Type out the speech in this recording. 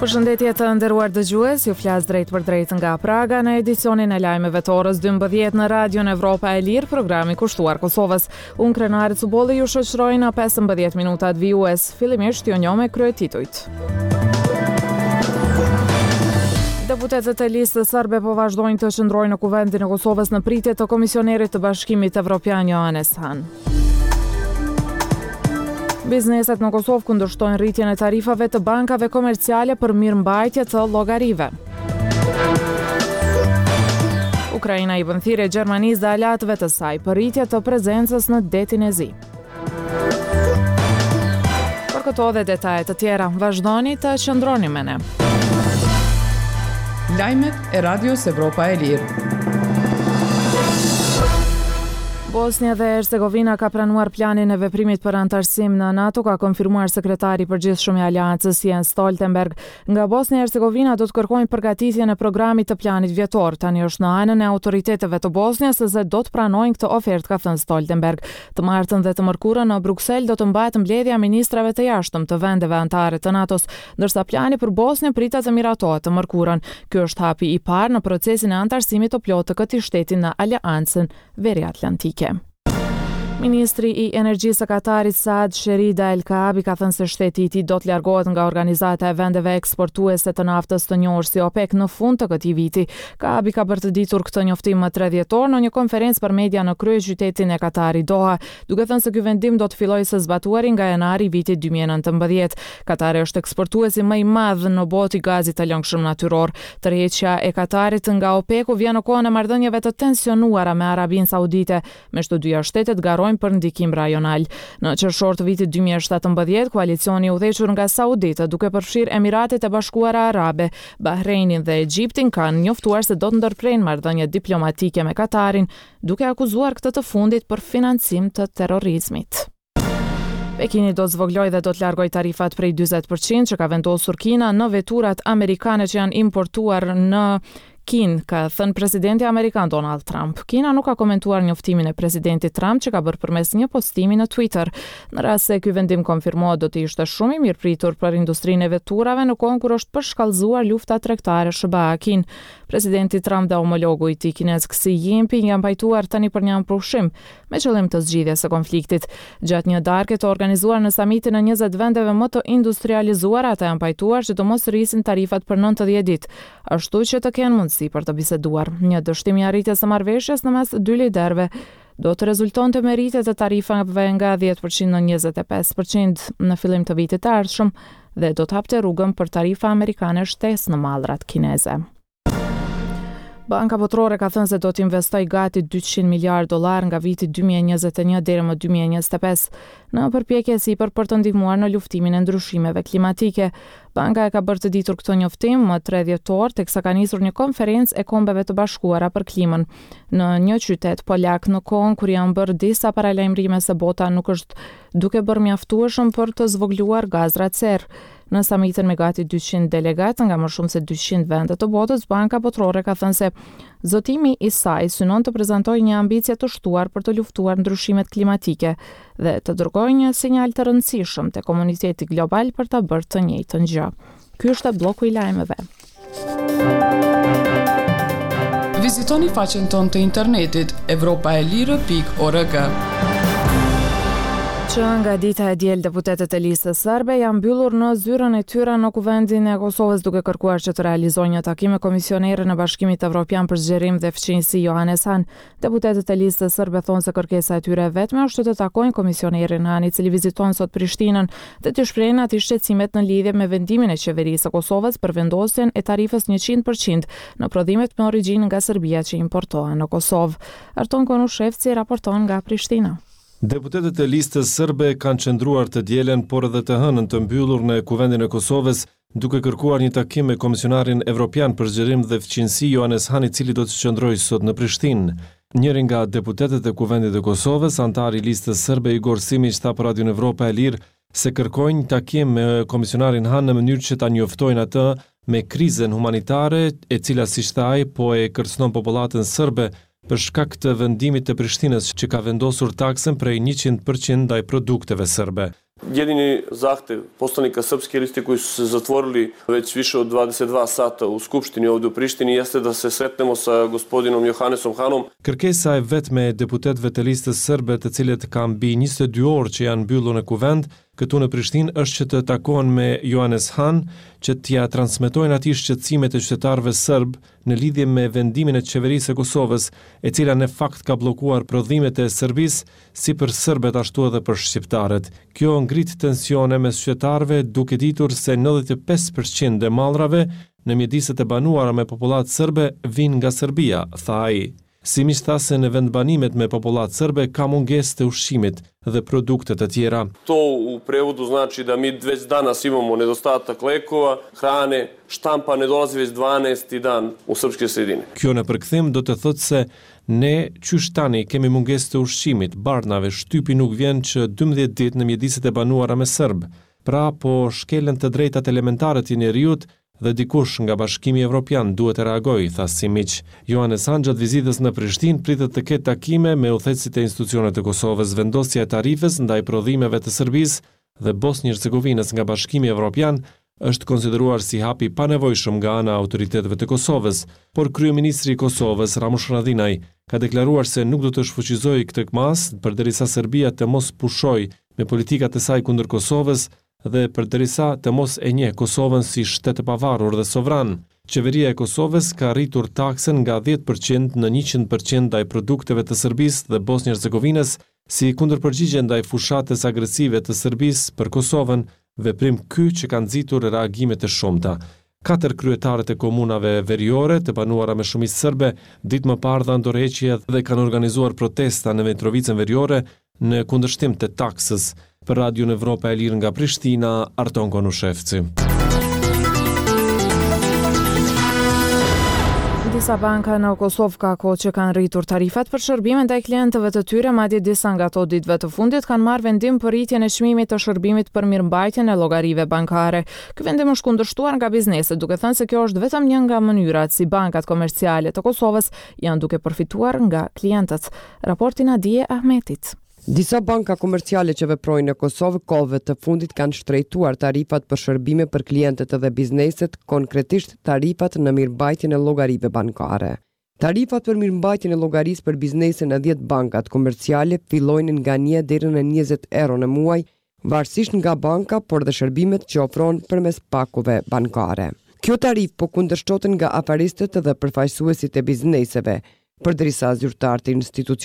Përshëndetje të nderuar dëgjues, ju flas drejtpërdrejt nga Praga në edicionin e lajmeve të orës 12 në Radion Evropa e Lirë, programi kushtuar Kosovës. Unë Krenare Cubolli ju shoqëroj në 15 minutat vijues. Fillimisht ju njoh me kryetitujt. Deputetët e Listës Serbe po vazhdojnë të qëndrojnë në Kuvendin e Kosovës në pritje të Komisionerit të Bashkimit Evropian Johannes Hahn. Bizneset në Kosovë kundërshtojnë rritjen e tarifave të bankave komerciale për mirëmbajtje të llogarive. Ukraina i bën thirrje Gjermanisë dhe aleatëve të saj për rritje të prezencës në Detin e Zi. Për këto dhe detaje të tjera, vazhdoni të qëndroni me ne. Lajmet e Radios Evropa e Lirë. Bosnja dhe Hercegovina ka pranuar planin e veprimit për anëtarësim në NATO, ka konfirmuar sekretari i përgjithshëm i Aleancës Jens Stoltenberg. Nga Bosnja e Hercegovina do të kërkojnë përgatitjen e programit të planit vjetor. Tani është në anën e autoriteteve të Bosnjës se do të pranojnë këtë ofertë, ka thënë Stoltenberg. Të martën dhe të mërkurën në Bruksel do të mbahet mbledhja e ministrave të jashtëm të vendeve anëtare të NATO-s, ndërsa plani për Bosnjën pritet të miratohet të mërkurën. Ky është hapi i parë në procesin e anëtarësimit të plotë të këtij shteti në Aleancën Veriatlantike. Ministri i Energjisë së Katarit Saad Sherida El Kaabi ka thënë se shteti i tij do të largohet nga organizata e vendeve eksportuese të naftës të njohur si OPEC në fund të këtij viti. Kaabi ka bërë të ditur këtë njoftim më 3 dhjetor në një konferencë për media në kryeqytetin e Katarit Doha, duke thënë se ky vendim do të fillojë së zbatuari nga janari i vitit 2019. Katari është eksportuesi më i madh në botë i gazit të lëngshëm natyror. Tërheqja e Katarit nga OPEC-u vjen në kohën e marrëdhënieve të tensionuara me Arabinë Saudite, meqë të dyja shtetet garojnë për ndikim rajonal. Në qershor të vitit 2017, koalicioni i udhëhequr nga sauditët, duke përfshirë Emiratet e Bashkuara Arabe, Bahreinin dhe Egjiptin, kanë njoftuar se do të ndërprejnë marrëdhëniet diplomatike me Katarin, duke akuzuar këtë të fundit për financim të terrorizmit. Pekini do të zvogëlojë dhe do të largojë tarifat prej 40 për qind që ka vendosur Kina në veturat amerikane që janë importuar në Kinë, ka thënë presidenti amerikan Donald Trump. Kina nuk ka komentuar njoftimin e presidentit Trump që ka bërë përmes një postimi në Twitter. Në rast se ky vendim konfirmohet, do të ishte shumë i mirëpritur për industrinë e veturave në kohën kur është përshkallëzuar lufta tregtare SHBA-Kinë. Presidenti Trump dhe homologu i tij kinez Xi Jinping janë pajtuar tani për një armëpushim me qëllim të zgjidhjes së konfliktit. Gjatë një darke të organizuar në samitin e 20 vendeve më të industrializuara, ata janë pajtuar që të mos rrisin tarifat për 90 ditë, ashtu që të kenë mundësi për të biseduar. Një dështim i arritjes së marrëveshjes në mes dy liderëve do të rezultonte me rritje të tarifave nga 10% në 25% në fillim të vitit të ardhshëm dhe do të hapte rrugën për tarifa amerikane shtesë në mallrat kineze. Banka Botërore ka thënë se do të investojë gati 200 miliardë dollarë nga viti 2021 deri më 2025 në përpjekje sipër për të ndihmuar në luftimin e ndryshimeve klimatike. Banka e ka bërë të ditur këtë njoftim më 3 dhjetor, teksa ka nisur një konferencë e Kombeve të Bashkuara për Klimën në një qytet polak në kohën kur janë bërë disa paralajmërime se bota nuk është duke bërë mjaftueshëm për të zvogëluar gazrat serrë. Në samitin me gati 200 delegatë nga më shumë se 200 vende të botës, Banka Botërore ka thënë se zotimi i saj synon të prezantojë një ambicie të shtuar për të luftuar ndryshimet klimatike dhe të dërgojë një sinjal të rëndësishëm te komuniteti global për ta bërë të njëjtën gjë. Ky është blloku i lajmeve. Vizitoni faqen tonë të internetit evropaelire.org. Që nga dita e diel deputetët e Listës Serbe janë mbyllur në zyrën e tyre në Kuvendin e Kosovës duke kërkuar që të realizojnë një takim me komisionerin e Bashkimit Evropian për Zgjerim dhe Fqinjësi Johannes Hahn. Deputetët e Listës Serbe thonë se kërkesa e tyre e vetme është që të takojnë komisionerin Hahn, i cili viziton sot Prishtinën, dhe t'i shprehin atij shqetësimet në lidhje me vendimin e Qeverisë së Kosovës për vendosjen e tarifës 100% në prodhimet me origjinë nga Serbia që importohen në Kosovë. Arton Konushevci raporton nga Prishtina. Deputetët e Listës Serbe kanë qëndruar të dielën, por edhe të hënën të mbyllur në Kuvendin e Kosovës, duke kërkuar një takim me Komisionarin Evropian për Zgjerim dhe Fqinjësi, Johannes Hahn, i cili do të qëndrojë sot në Prishtinë. Njëri nga deputetët e Kuvendit të Kosovës, anëtari i Listës Serbe, Igor Simiq, tha për Radion Evropa e Lirë se kërkojnë një takim me Komisionarin Hahn në mënyrë që ta njoftojnë atë me krizën humanitare, e cila, siç tha ai, po e kërcënon popullatën serbe për shkak të vendimit të Prishtinës që ka vendosur taksën prej 100% ndaj produkteve serbe. Jedini zahtev poslanika Srpske liste koji su se zatvorili već više od 22 sata u Skupštini ovde u Prištini jeste da se sretnemo sa gospodinom Johannesom Hanom. Kërkesa e vetme e deputetëve të Listës Sërbe të cilët kanë mbi 22 orë që janë mbyllur në Kuvend, këtu në Prishtinë është që të takohen me Johannes Hahn, që t'ia transmetojnë atij shqetësimet e qytetarëve sërbë në lidhje me vendimin e Qeverisë së Kosovës, e cila në fakt ka bllokuar prodhimet e Serbisë, si për sërbët ashtu edhe për shqiptarët. Kjo ngrit tensione mes qytetarëve duke ditur se 95 për qind e mallrave në mjediset e banuara me popullatë sërbe vijnë nga Serbia, tha ai. Simiq tha se në vendbanimet me popullatë sërbe ka mungesë të ushqimit dhe produkte të tjera. To u prevodu znači da mi već danas imamo nedostatak lekova, hrane, štampa ne dolazi već 12. dan u srpske sredine. Kjo në përkthim do të thotë se ne qysh tani kemi mungesë të ushqimit, barnave, shtypi nuk vjen që 12 ditë në mjediset e banuara me sërbë. Pra po shkelen të drejtat elementare të njeriut dhe dikush nga Bashkimi Evropian duhet të reagojë, tha Simiq. Johannes Hahn gjatë vizitës në Prishtinë pritet të ketë takime me udhëheqësit e institucioneve të Kosovës. Vendosja e tarifës ndaj prodhimeve të Serbisë dhe Bosnjë-Hercegovinës nga Bashkimi Evropian është konsideruar si hap i panevojshëm nga ana e autoriteteve të Kosovës, por kryeministri i Kosovës, Ramush Haradinaj, ka deklaruar se nuk do të shfuqizojë këtë masë përderisa Serbia të mos pushojë me politikat e saj kundër Kosovës dhe përderisa të mos e njeh Kosovën si shtet të pavarur dhe sovran. Qeveria e Kosovës ka rritur taksën nga 10% në 100% ndaj produkteve të Serbisë dhe Bosnjë-Hercegovinës si kundërpërgjigje ndaj fushatës agresive të Serbisë për Kosovën, veprim ky që ka nxitur reagime të shumta. Katër kryetarët e komunave veriore të banuara me shumicë sërbe ditë më parë dhanë dorëheqje dhe kanë organizuar protesta në Mitrovicën veriore në kundërshtim të taksës. Për Radion Evropa e Lirë nga Prishtina, Arton Konushevci. Disa banka në Kosovë ka kohë që kanë rritur tarifat për shërbime ndaj klientëve të tyre, madje disa nga ato ditëve të fundit kanë marrë vendim për rritjen e çmimit të shërbimit për mirëmbajtjen e llogarive bankare. Ky vendim është kundërshtuar nga bizneset, duke thënë se kjo është vetëm një nga mënyrat si bankat komerciale të Kosovës janë duke përfituar nga klientët. Raporti Nadie Ahmetit. Disa banka komerciale që veprojnë në Kosovë kohëve të fundit kanë shtrenjtuar tarifat për shërbime për klientët dhe bizneset, konkretisht tarifat në mirëmbajtjen e llogarive bankare. Tarifat për mirëmbajtjen e llogarisë për biznese në 10 bankat komerciale fillojnë nga 1 deri në 20 euro në muaj, varësisht nga banka, por dhe shërbimet që ofron përmes pakove bankare. Kjo tarifë po kundërshtohet nga afaristët dhe përfaqësuesit e bizneseve, përderisa zyrtarët e institucioneve.